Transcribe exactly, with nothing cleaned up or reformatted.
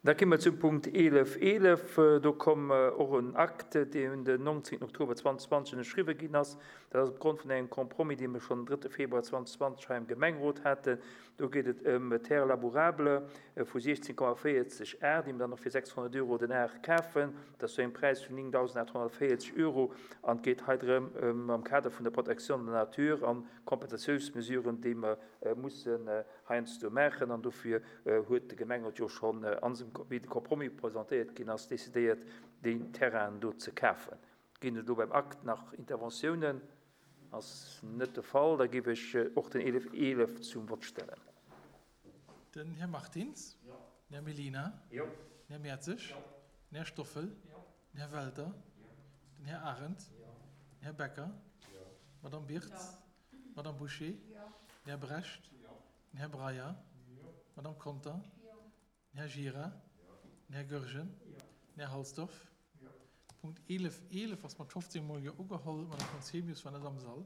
Da komme mer zum Punkt eelef eelef. Do komm och en Akt, deen den nongzéngten Oktober zweedausendzwanzeg ënnerschriwwen ginn ass. Dat ass opgrond vun engem Compromis, dee mir schonn den drëtte Februar zweedausendzwanzeg hei am Gemengerot haten. Do geet et ëm Terre labourable vu siechzéng Komma véierzeg Ar, déi mir dann och fir sechshonnert Euro den Ar kafen. Dat ass zu engem Präis vun néngdausendaathonnertvéierzeg Euro. An et geet hei drëm, am Kader vun der Protection de la nature an Kompensatiounsmesuren, déi mer mussen heiansdo maachen. An dofir huet de Gemengerot jo schonn, wéi de Compromis presentéiert ginn ass, decidéiert, déi Terrainen do ze kafen. Ginn et elo beim Akt nach Interventiounen? Ass net de Fall. Da géif ech och den eelef eelef zum Vott stellen. Den Här Martins. Jo. Den Här Mellina. Jo. Den Här Mertzig. Jo. Den Här Stoffel. Jo. Den Här Welter. Jo. Den Här Arendt. Jo. Den Här Becker. Jo. D'Madame Birtz. Jo. D'Madame Bouché. Jo. Den Här Brecht. Jo. Den Här Breyer. Jo. D'Madame Conter. Jo. Den Här Gira. Jo. Den Här Goergen. Jo. Den Här Halsdorf. Jo. Punkt eelef eelef ass mat fofzéng Mol Jo ugeholl. D'Madame Conzemius war net am Sall.